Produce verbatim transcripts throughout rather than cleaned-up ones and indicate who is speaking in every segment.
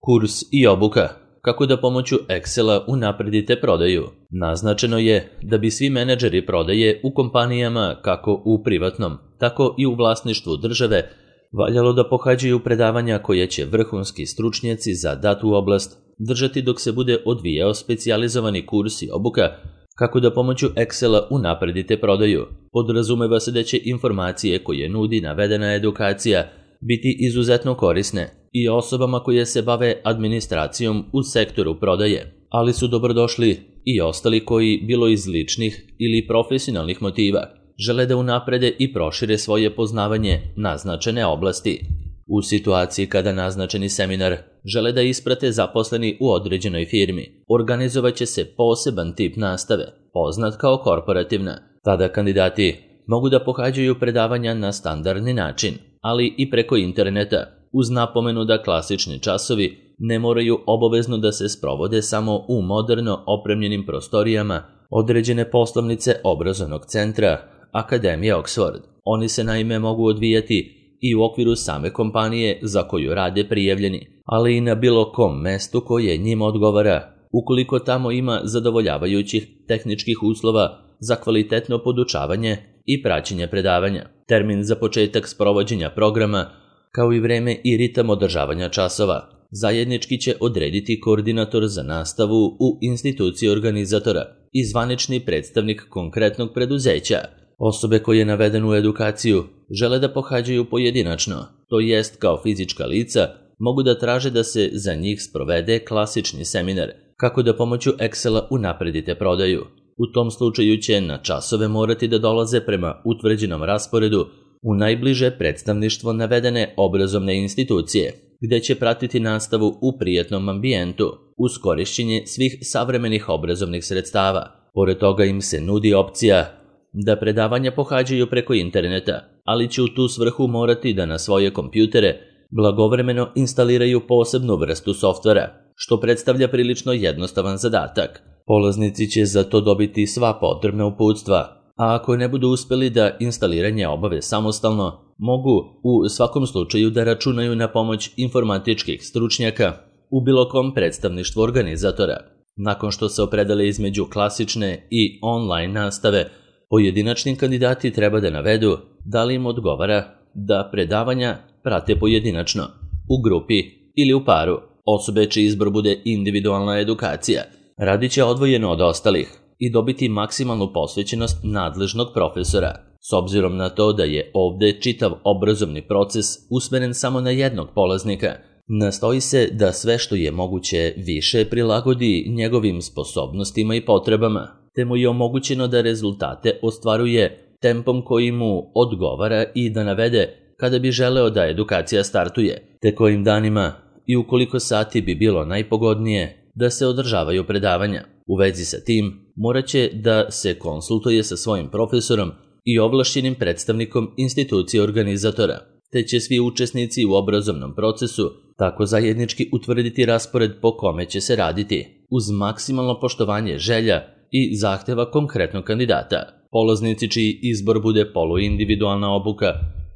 Speaker 1: Kurs i obuka. Kako da pomoću Excela unapredite prodaju. Naznačeno je da bi svi menadžeri prodaje u kompanijama kako u privatnom, tako i u vlasništvu države valjalo da pohađaju predavanja koje će vrhunski stručnjaci za datu oblast držati dok se bude odvijao specijalizovani kurs i obuka kako da pomoću Excela unapredite prodaju. Podrazumeva se da će informacije koje nudi navedena edukacija biti izuzetno korisne i osobama koje se bave administracijom u sektoru prodaje, ali su dobrodošli i ostali koji, bilo iz ličnih ili profesionalnih motiva, žele da unaprede i prošire svoje poznavanje naznačene oblasti. U situaciji kada naznačeni seminar žele da isprate zaposleni u određenoj firmi, organizovat će se poseban tip nastave, poznat kao korporativna. Tada kandidati mogu da pohađaju predavanja na standardni način, ali i preko interneta, uz napomenu da klasični časovi ne moraju obavezno da se sprovode samo u moderno opremljenim prostorijama određene poslovnice obrazovnog centra Akademije Oxford. Oni se naime mogu odvijati i u okviru same kompanije za koju rade prijavljeni, ali i na bilo kom mestu koje njima odgovara, ukoliko tamo ima zadovoljavajućih tehničkih uslova za kvalitetno podučavanje i praćenje predavanja. Termin za početak sprovođenja programa, kao i vreme i ritam održavanja časova, zajednički će odrediti koordinator za nastavu u instituciji organizatora i zvanični predstavnik konkretnog preduzeća. Osobe koje navedenu edukaciju žele da pohađaju pojedinačno, to jest kao fizička lica, mogu da traže da se za njih sprovede klasični seminar kako da pomoću Excela unapredite prodaju. U tom slučaju će na časove morati da dolaze prema utvrđenom rasporedu u najbliže predstavništvo navedene obrazovne institucije, gde će pratiti nastavu u prijatnom ambijentu uz korišćenje svih savremenih obrazovnih sredstava. Pored toga im se nudi opcija da predavanja pohađaju preko interneta, ali će u tu svrhu morati da na svoje kompjutere blagovremeno instaliraju posebnu vrstu softvera, što predstavlja prilično jednostavan zadatak. Polaznici će za to dobiti sva potrebna uputstva, a ako ne budu uspeli da instaliranje obave samostalno, mogu u svakom slučaju da računaju na pomoć informatičkih stručnjaka u bilo kom predstavništvu organizatora. Nakon što se opredele između klasične i online nastave, pojedinačni kandidati treba da navedu da li im odgovara da predavanja prate pojedinačno, u grupi ili u paru. Osobe čiji izbor bude individualna edukacija radit će odvojeno od ostalih i dobiti maksimalnu posvećenost nadležnog profesora. S obzirom na to da je ovde čitav obrazovni proces usmeren samo na jednog polaznika, nastoji se da sve što je moguće više prilagodi njegovim sposobnostima i potrebama, te mu je omogućeno da rezultate ostvaruje tempom koji mu odgovara i da navede kada bi želeo da edukacija startuje, te kojim danima i u koliko sati bi bilo najpogodnije da se održavaju predavanja. U vezi sa tim, morat će da se konsultuje sa svojim profesorom i ovlašćenim predstavnikom institucije organizatora, te će svi učesnici u obrazovnom procesu tako zajednički utvrditi raspored po kome će se raditi, uz maksimalno poštovanje želja i zahteva konkretnog kandidata. Polaznici čiji izbor bude poluindividualna obuka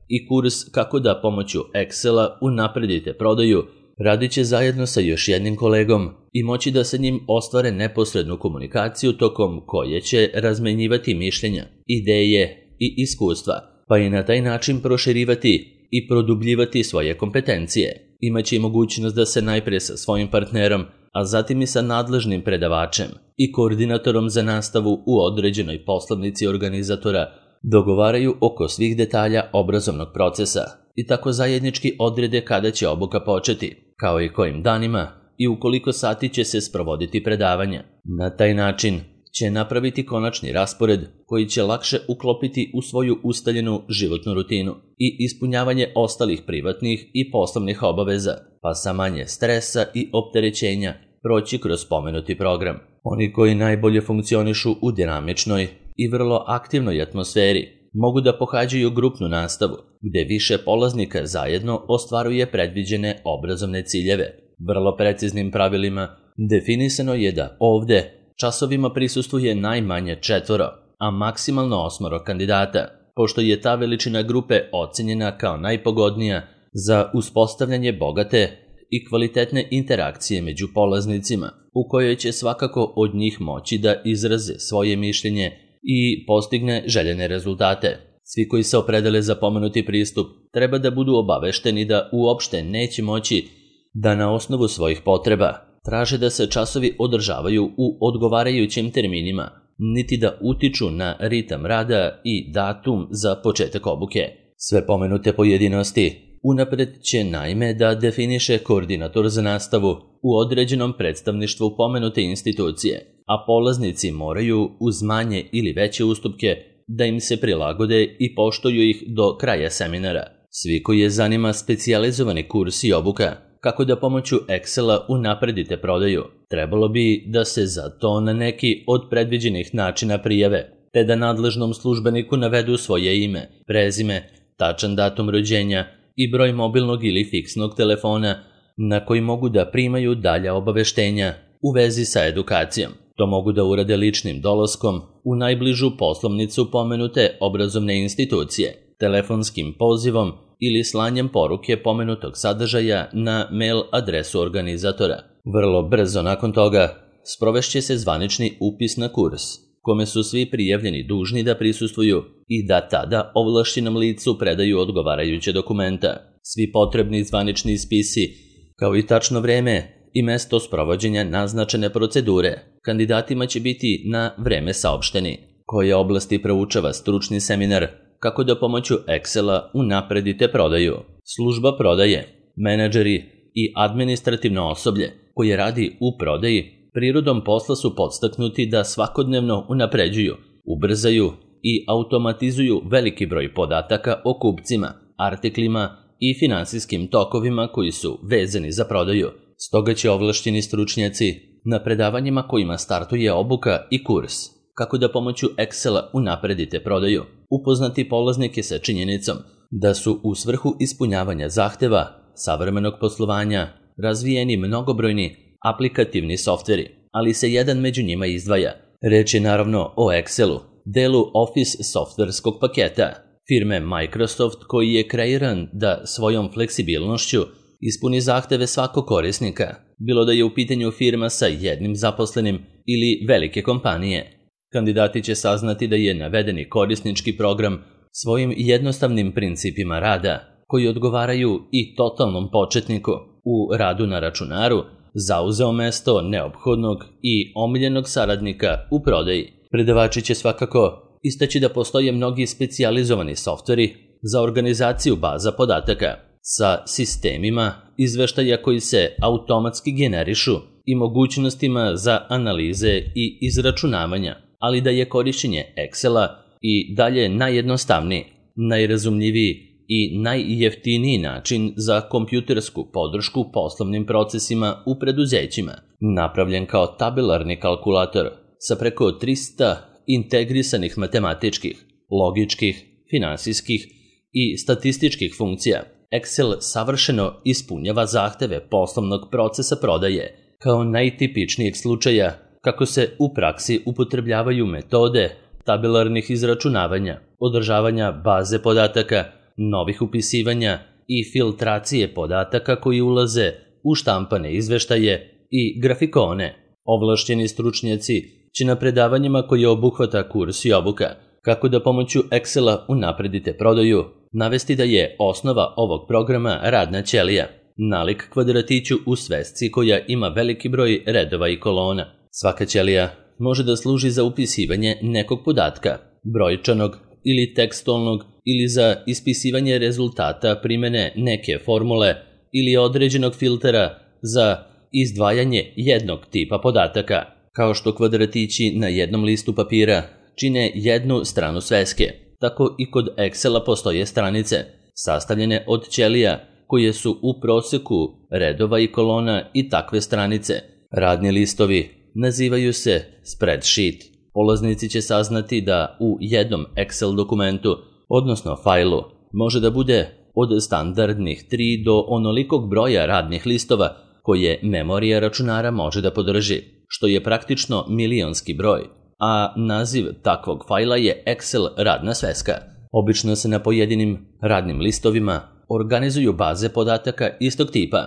Speaker 1: i kurs kako da pomoću Excela unapredite prodaju radit će zajedno sa još jednim kolegom i moći da sa njim ostvare neposrednu komunikaciju tokom koje će razmenjivati mišljenja, ideje i iskustva, pa i na taj način proširivati i produbljivati svoje kompetencije. Imaće i mogućnost da se najprije sa svojim partnerom, a zatim i sa nadležnim predavačem i koordinatorom za nastavu u određenoj poslovnici organizatora dogovaraju oko svih detalja obrazovnog procesa i tako zajednički odrede kada će obuka početi, kao i kojim danima i u koliko sati će se sprovoditi predavanja. Na taj način će napraviti konačni raspored koji će lakše uklopiti u svoju ustaljenu životnu rutinu i ispunjavanje ostalih privatnih i poslovnih obaveza, pa sa manje stresa i opterećenja proći kroz spomenuti program. Oni koji najbolje funkcionišu u dinamičnoj i vrlo aktivnoj atmosferi mogu da pohađaju grupnu nastavu, gde više polaznika zajedno ostvaruje predviđene obrazovne ciljeve. Vrlo preciznim pravilima definisano je da ovde časovima prisustvuje najmanje četvoro, a maksimalno osmoro kandidata, pošto je ta veličina grupe ocenjena kao najpogodnija za uspostavljanje bogate i kvalitetne interakcije među polaznicima, u kojoj će svakako od njih moći da izraze svoje mišljenje i postigne željene rezultate. Svi koji se opredele za pomenuti pristup treba da budu obavešteni da uopšte neće moći da na osnovu svojih potreba traže da se časovi održavaju u odgovarajućim terminima, niti da utiču na ritam rada i datum za početak obuke. Sve pomenute pojedinosti unapred će naime da definiše koordinator za nastavu u određenom predstavništvu pomenute institucije, a polaznici moraju uz manje ili veće ustupke da im se prilagode i poštuju ih do kraja seminara. Svi koji je zanima specijalizovani kurs i obuka kako da pomoću Excela unapredite prodaju, trebalo bi da se za to na neki od predviđenih načina prijave, te da nadležnom službeniku navedu svoje ime, prezime, tačan datum rođenja i broj mobilnog ili fiksnog telefona na koji mogu da primaju dalja obaveštenja u vezi sa edukacijom. To mogu da urade ličnim dolaskom u najbližu poslovnicu pomenute obrazovne institucije, telefonskim pozivom ili slanjem poruke pomenutog sadržaja na mail adresu organizatora. Vrlo brzo nakon toga sprovešće se zvanični upis na kurs, kome su svi prijavljeni dužni da prisustvuju i da tada ovlašćenom licu predaju odgovarajuće dokumenta. Svi potrebni zvanični spisi, kao i tačno vreme i mesto sprovođenja naznačene procedure, kandidatima će biti na vreme saopšteni. Koje oblasti proučava stručni seminar kako da pomoću Excela unapredite prodaju? Služba prodaje, menadžeri i administrativno osoblje koje radi u prodaji prirodom posla su podstaknuti da svakodnevno unapređuju, ubrzaju i automatizuju veliki broj podataka o kupcima, artiklima i finansijskim tokovima koji su vezani za prodaju. Stoga će ovlašćeni stručnjaci na predavanjima kojima startuje obuka i kurs kako da pomoću Excela unapredite prodaju upoznati polaznike sa činjenicom da su u svrhu ispunjavanja zahteva savremenog poslovanja razvijeni mnogobrojni aplikativni softveri, ali se jedan među njima izdvaja. Reč je naravno o Excelu, delu Office softverskog paketa firme Microsoft koji je kreiran da svojom fleksibilnošću ispuni zahteve svakog korisnika, bilo da je u pitanju firma sa jednim zaposlenim ili velike kompanije. Kandidati će saznati da je navedeni korisnički program svojim jednostavnim principima rada, koji odgovaraju i totalnom početniku u radu na računaru, zauzeo mesto neophodnog i omiljenog saradnika u prodaji. Predavači će svakako istaći da postoje mnogi specijalizovani softveri za organizaciju baza podataka sa sistemima izveštaja koji se automatski generišu i mogućnostima za analize i izračunavanja, ali da je korišćenje Excela i dalje najjednostavniji, najrazumljiviji i najjeftiniji način za kompjutersku podršku poslovnim procesima u preduzećima, napravljen kao tabelarni kalkulator sa preko trista integrisanih matematičkih, logičkih, finansijskih i statističkih funkcija. Excel savršeno ispunjava zahteve poslovnog procesa prodaje, kao najtipičnijeg slučaja kako se u praksi upotrebljavaju metode tabelarnih izračunavanja, održavanja baze podataka, novih upisivanja i filtracije podataka koji ulaze u štampane izveštaje i grafikone. Ovlašćeni stručnjaci će na predavanjima koje obuhvata kurs i obuka kako da pomoću Excela unapredite prodaju navesti da je osnova ovog programa radna ćelija, nalik kvadratiću u svesci koja ima veliki broj redova i kolona. Svaka ćelija može da služi za upisivanje nekog podatka, brojčanog ili tekstualnog, ili za ispisivanje rezultata primene neke formule ili određenog filtera za izdvajanje jednog tipa podataka, kao što kvadratići na jednom listu papira čine jednu stranu sveske. Tako i kod Excela postoje stranice, sastavljene od ćelija koje su u proseku redova i kolona i takve stranice. Radni listovi nazivaju se spreadsheet. Polaznici će saznati da u jednom Excel dokumentu, odnosno fajlu, može da bude od standardnih tri do onolikog broja radnih listova koje memorija računara može da podrži, što je praktično milionski broj, a naziv takvog fajla je Excel radna sveska. Obično se na pojedinim radnim listovima organizuju baze podataka istog tipa.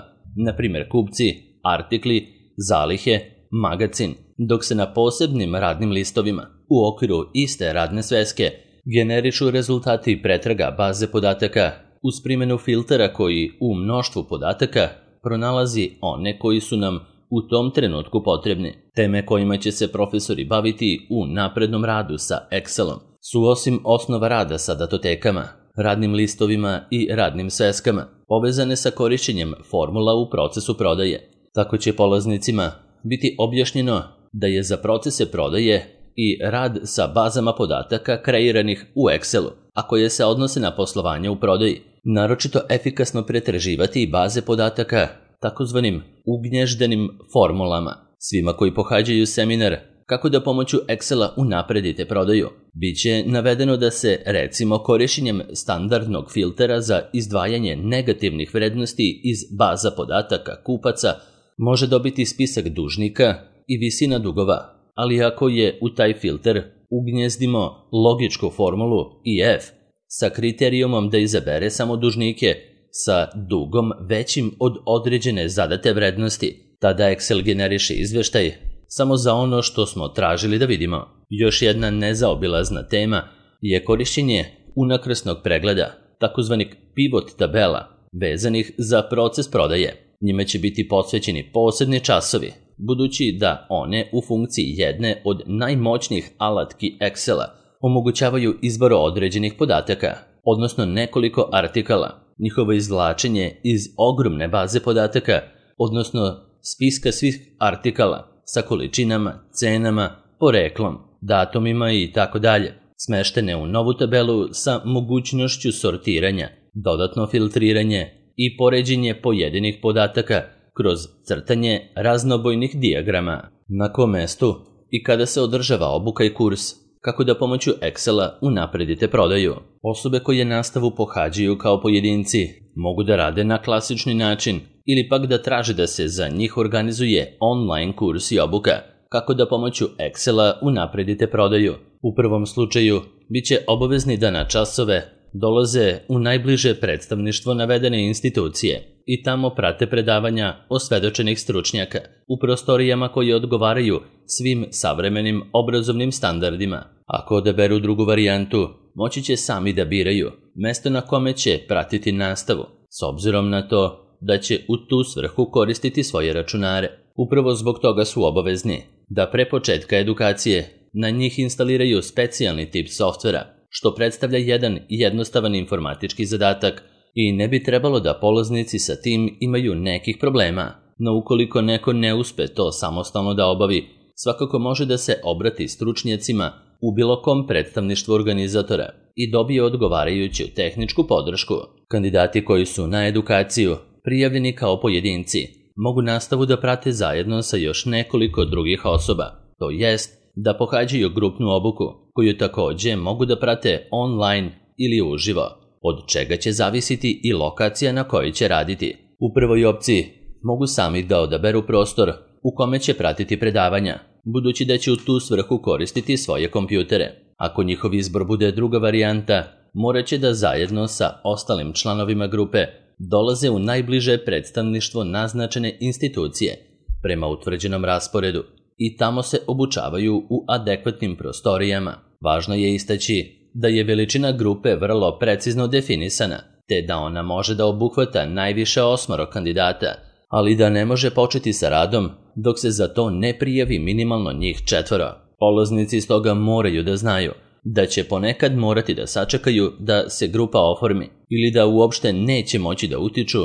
Speaker 1: na primjer kupci, artikli, zalihe, magacin, dok se na posebnim radnim listovima u okviru iste radne sveske generišu rezultati pretraga baze podataka uz primjenu filtera koji u mnoštvu podataka pronalazi one koji su nam u tom trenutku potrebni. Teme kojima će se profesori baviti u naprednom radu sa Excelom su osim osnova rada sa datotekama, radnim listovima i radnim sveskama, povezane sa korišćenjem formula u procesu prodaje. Tako će polaznicima biti objašnjeno da je za procese prodaje i rad sa bazama podataka kreiranih u Excelu, a koje se odnose na poslovanje u prodaji, naročito efikasno pretraživati baze podataka takozvanim ugnježdenim formulama. Svima koji pohađaju seminar kako da pomoću Excela unapredite prodaju, bit će navedeno da se, recimo, korišćenjem standardnog filtera za izdvajanje negativnih vrednosti iz baza podataka kupaca može dobiti spisak dužnika i visina dugova, ali ako je u taj filter ugnjezdimo logičku formulu I F sa kriterijumom da izabere samo dužnike sa dugom većim od određene zadate vrednosti, tada Excel generiše izveštaj samo za ono što smo tražili da vidimo. Još jedna nezaobilazna tema je korišćenje unakrsnog pregleda, takozvanih pivot tabela, vezanih za proces prodaje. Njime će biti posvećeni posebni časovi, budući da one u funkciji jedne od najmoćnijih alatki Excela omogućavaju izbor određenih podataka, odnosno nekoliko artikala, njihovo izvlačenje iz ogromne baze podataka, odnosno spiska svih artikala sa količinama, cenama, poreklom, datumima i tako dalje, smeštene u novu tabelu sa mogućnošću sortiranja, dodatno filtriranje i poređenje pojedinih podataka kroz crtanje raznobojnih dijagrama. Na kom mestu i kada se održava obuka i kurs, kako da pomoću Excela unapredite prodaju. Osobe koje nastavu pohađaju kao pojedinci mogu da rade na klasični način ili pak da traže da se za njih organizuje online kurs i obuka, kako da pomoću Excela unapredite prodaju. U prvom slučaju bit će obavezni da na časove dolaze u najbliže predstavništvo navedene institucije i tamo prate predavanja osvedočenih stručnjaka u prostorijama koje odgovaraju svim savremenim obrazovnim standardima. Ako odaberu drugu varijantu, moći će sami da biraju mesto na kome će pratiti nastavu, s obzirom na to da će u tu svrhu koristiti svoje računare. Upravo zbog toga su obavezni da pre početka edukacije na njih instaliraju specijalni tip softvera, što predstavlja jedan jednostavan informatički zadatak i ne bi trebalo da polaznici sa tim imaju nekih problema. No ukoliko neko ne uspe to samostalno da obavi, svakako može da se obrati stručnjacima u bilo kom predstavništvu organizatora i dobije odgovarajuću tehničku podršku. Kandidati koji su na edukaciju prijavljeni kao pojedinci mogu nastavu da prate zajedno sa još nekoliko drugih osoba, to jest da pohađaju grupnu obuku, koju takođe mogu da prate online ili uživo, od čega će zavisiti i lokacija na kojoj će raditi. U prvoj opciji mogu sami da odaberu prostor u kome će pratiti predavanja, budući da će u tu svrhu koristiti svoje kompjutere. Ako njihov izbor bude druga varijanta, morat će da zajedno sa ostalim članovima grupe dolaze u najbliže predstavništvo naznačene institucije prema utvrđenom rasporedu i tamo se obučavaju u adekvatnim prostorijama. Važno je istaći da je veličina grupe vrlo precizno definisana, te da ona može da obuhvata najviše osmoro kandidata, ali da ne može početi sa radom dok se za to ne prijavi minimalno njih četvoro. Polaznici stoga moraju da znaju da će ponekad morati da sačekaju da se grupa oformi ili da uopšte neće moći da utiču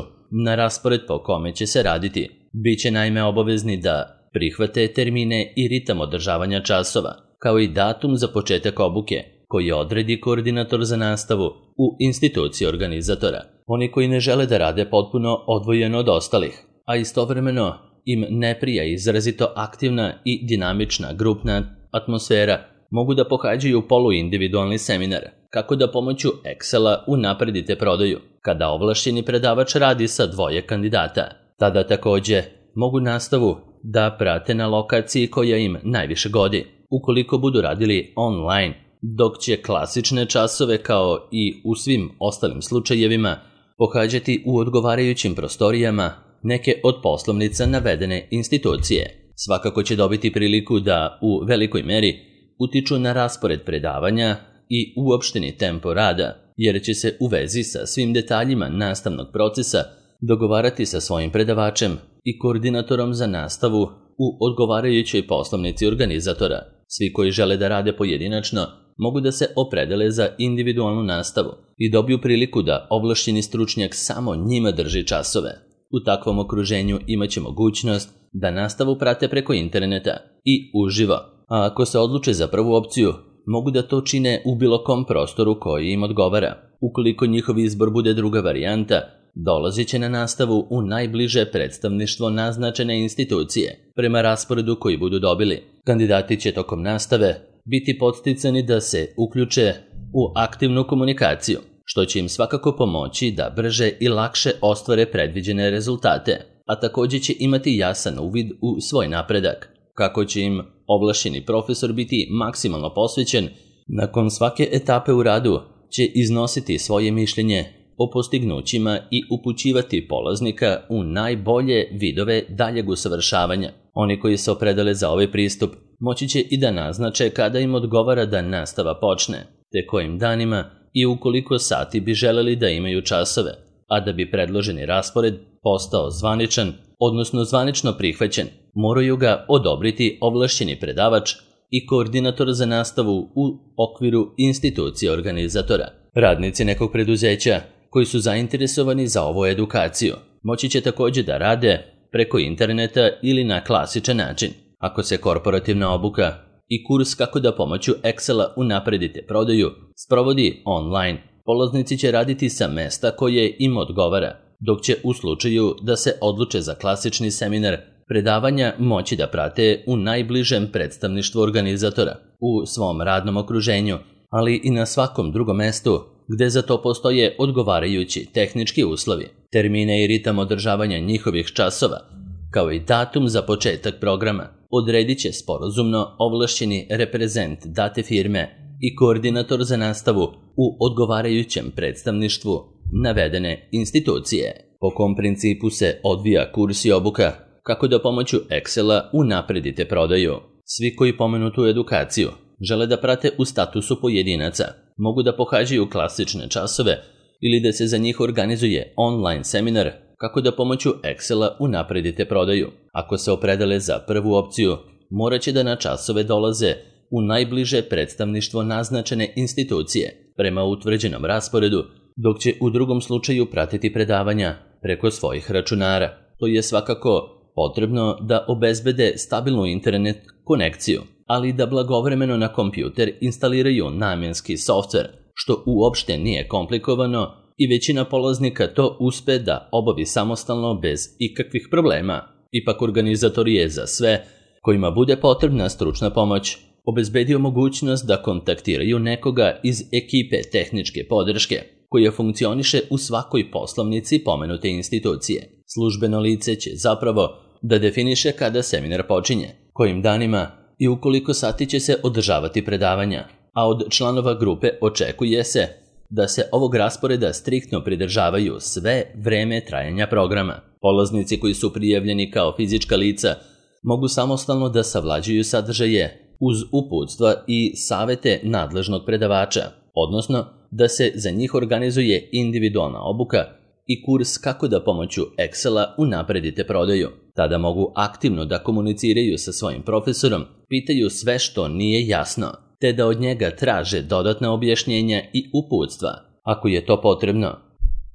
Speaker 1: na raspored po kome će se raditi. Biće naime obavezni da prihvate termine i ritam održavanja časova, kao i datum za početak obuke, koji odredi koordinator za nastavu u instituciji organizatora. Oni koji ne žele da rade potpuno odvojeno od ostalih, a istovremeno im ne prija izrazito aktivna i dinamična grupna atmosfera, mogu da pohađaju poluindividualni seminar, kako da pomoću Excela unapredite prodaju, kada ovlašćeni predavač radi sa dvoje kandidata. Tada takođe mogu nastavu da prate na lokaciji koja im najviše godi, ukoliko budu radili online, dok će klasične časove kao i u svim ostalim slučajevima pohađati u odgovarajućim prostorijama neke od poslovnica navedene institucije. Svakako će dobiti priliku da u velikoj meri utiču na raspored predavanja i uopšteni tempo rada, jer će se u vezi sa svim detaljima nastavnog procesa dogovarati sa svojim predavačem i koordinatorom za nastavu u odgovarajućoj poslovnici organizatora. Svi koji žele da rade pojedinačno mogu da se opredele za individualnu nastavu i dobiju priliku da ovlašćeni stručnjak samo njima drži časove. U takvom okruženju imaće mogućnost da nastavu prate preko interneta i uživo, a ako se odluče za prvu opciju, mogu da to čine u bilo kom prostoru koji im odgovara. Ukoliko njihov izbor bude druga varijanta, dolazit će na nastavu u najbliže predstavništvo naznačene institucije, prema rasporedu koji budu dobili. Kandidati će tokom nastave biti podsticani da se uključe u aktivnu komunikaciju, što će im svakako pomoći da brže i lakše ostvare predviđene rezultate, a također će imati jasan uvid u svoj napredak. Kako će im ovlašćeni profesor biti maksimalno posvećen, nakon svake etape u radu će iznositi svoje mišljenje o postignućima i upućivati polaznika u najbolje vidove daljeg usavršavanja. Oni koji se opredele za ovaj pristup moći će i da naznače kada im odgovara da nastava počne, te kojim danima i u koliko sati bi želeli da imaju časove, a da bi predloženi raspored postao zvaničan, odnosno zvanično prihvaćen, moraju ga odobriti ovlašćeni predavač i koordinator za nastavu u okviru institucije organizatora. Radnici nekog preduzeća koji su zainteresovani za ovu edukaciju moći će također da rade preko interneta ili na klasičan način. Ako se korporativna obuka i kurs kako da pomoću Excela unapredite prodaju sprovodi online, polaznici će raditi sa mesta koje im odgovara, dok će u slučaju da se odluče za klasični seminar predavanja moći da prate u najbližem predstavništvu organizatora, u svom radnom okruženju, ali i na svakom drugom mestu gde za to postoje odgovarajući tehnički uslovi. Termine i ritam održavanja njihovih časova, kao i datum za početak programa, odredit će sporazumno ovlašćeni reprezent date firme i koordinator za nastavu u odgovarajućem predstavništvu navedene institucije. Po kom principu se odvija kurs i obuka kako da pomoću Excela unapredite prodaju. Svi koji pomenutu edukaciju žele da prate u statusu pojedinaca, mogu da pohađaju klasične časove ili da se za njih organizuje online seminar kako da pomoću Excela unapredite prodaju. Ako se opredele za prvu opciju, morat će da na časove dolaze u najbliže predstavništvo naznačene institucije prema utvrđenom rasporedu, dok će u drugom slučaju pratiti predavanja preko svojih računara. To je svakako potrebno da obezbede stabilnu internet konekciju, ali da blagovremeno na kompjuter instaliraju namjenski softver, što uopšte nije komplikovano i većina polaznika to uspe da obavi samostalno bez ikakvih problema. Ipak organizator je za sve kojima bude potrebna stručna pomoć obezbedio mogućnost da kontaktiraju nekoga iz ekipe tehničke podrške koja funkcioniše u svakoj poslovnici pomenute institucije. Službeno lice će zapravo da definiše kada seminar počinje, kojim danima i u koliko sati će se održavati predavanja, a od članova grupe očekuje se da se ovog rasporeda striktno pridržavaju sve vreme trajanja programa. Polaznici koji su prijavljeni kao fizička lica mogu samostalno da savlađuju sadržaje uz uputstva i savete nadležnog predavača, odnosno da se za njih organizuje individualna obuka i kurs kako da pomoću Excela unapredite prodaju. Tada mogu aktivno da komuniciraju sa svojim profesorom, pitaju sve što nije jasno, te da od njega traže dodatna objašnjenja i uputstva, ako je to potrebno.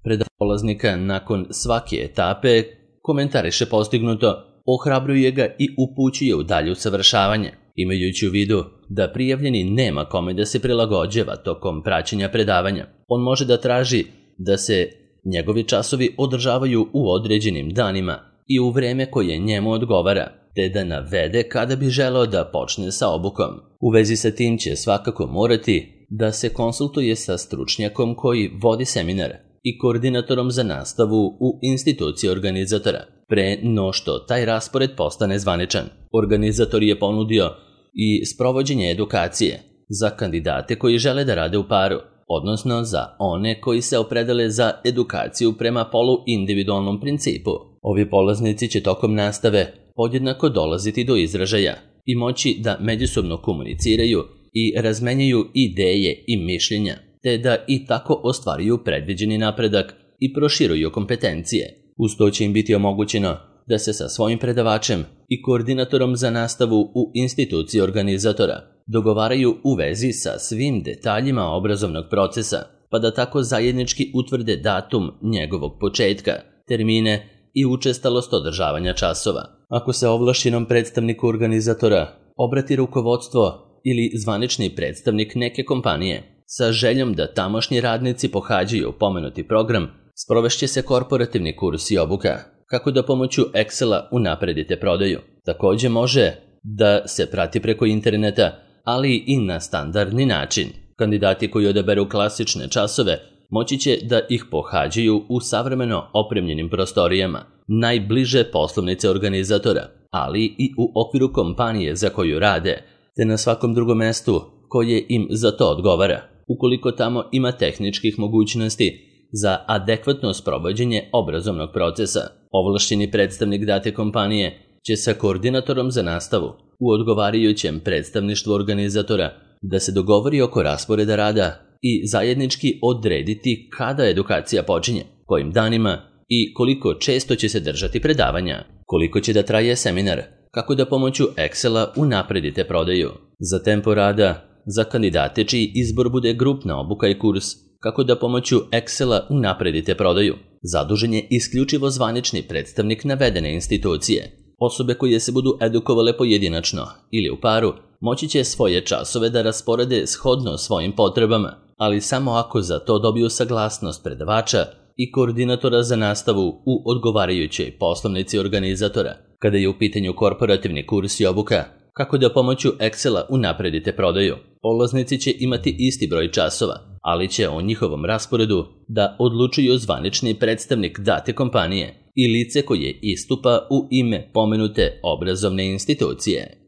Speaker 1: Predavač polaznika nakon svake etape komentariše postignuto, ohrabruje ga i upućuje u dalje usavršavanje, imajući u vidu da prijavljeni nema kome da se prilagođava tokom praćenja predavanja. On može da traži da se njegovi časovi održavaju u određenim danima i u vreme koje njemu odgovara, te da navede kada bi želeo da počne sa obukom. U vezi sa tim će svakako morati da se konsultuje sa stručnjakom koji vodi seminar i koordinatorom za nastavu u instituciji organizatora, pre no što taj raspored postane zvaničan. Organizator je ponudio i sprovođenje edukacije za kandidate koji žele da rade u paru, odnosno za one koji se opredele za edukaciju prema polu individualnom principu. Ovi polaznici će tokom nastave podjednako dolaziti do izražaja i moći da međusobno komuniciraju i razmenjuju ideje i mišljenja, te da i tako ostvaruju predviđeni napredak i proširuju kompetencije. Uz to će im biti omogućeno da se sa svojim predavačem i koordinatorom za nastavu u instituciji organizatora dogovaraju u vezi sa svim detaljima obrazovnog procesa, pa da tako zajednički utvrde datum njegovog početka, termine i učestalost održavanja časova. Ako se ovlašćenom predstavniku organizatora obrati rukovodstvo ili zvanični predstavnik neke kompanije sa željom da tamošnji radnici pohađaju pomenuti program, sprovešće se korporativni kurs i obuka kako da pomoću Excela unapredite prodaju. Također može da se prati preko interneta, ali i na standardni način. Kandidati koji odaberu klasične časove moći će da ih pohađaju u savremeno opremljenim prostorijama, najbliže poslovnice organizatora, ali i u okviru kompanije za koju rade, te na svakom drugom mestu koje im za to odgovara, ukoliko tamo ima tehničkih mogućnosti za adekvatno sprovođenje obrazovnog procesa. Ovlašćeni predstavnik date kompanije će sa koordinatorom za nastavu u odgovarajućem predstavništvu organizatora da se dogovori oko rasporeda rada i zajednički odrediti kada edukacija počinje, kojim danima i koliko često će se držati predavanja, koliko će da traje seminar, kako da pomoću Excela unapredite prodaju. Za tempo rada, za kandidate čiji izbor bude grupna obuka i kurs, kako da pomoću Excela unapredite prodaju, zadužen je isključivo zvanični predstavnik navedene institucije. Osobe koje se budu edukovale pojedinačno ili u paru moći će svoje časove da rasporede shodno svojim potrebama, ali samo ako za to dobiju saglasnost predavača i koordinatora za nastavu u odgovarajućoj poslovnici organizatora. Kada je u pitanju korporativni kurs i obuka, kako da pomoću Excela unapredite prodaju, polaznici će imati isti broj časova, ali će o njihovom rasporedu da odlučuju zvanični predstavnik date kompanije i lice koje istupa u ime pomenute obrazovne institucije.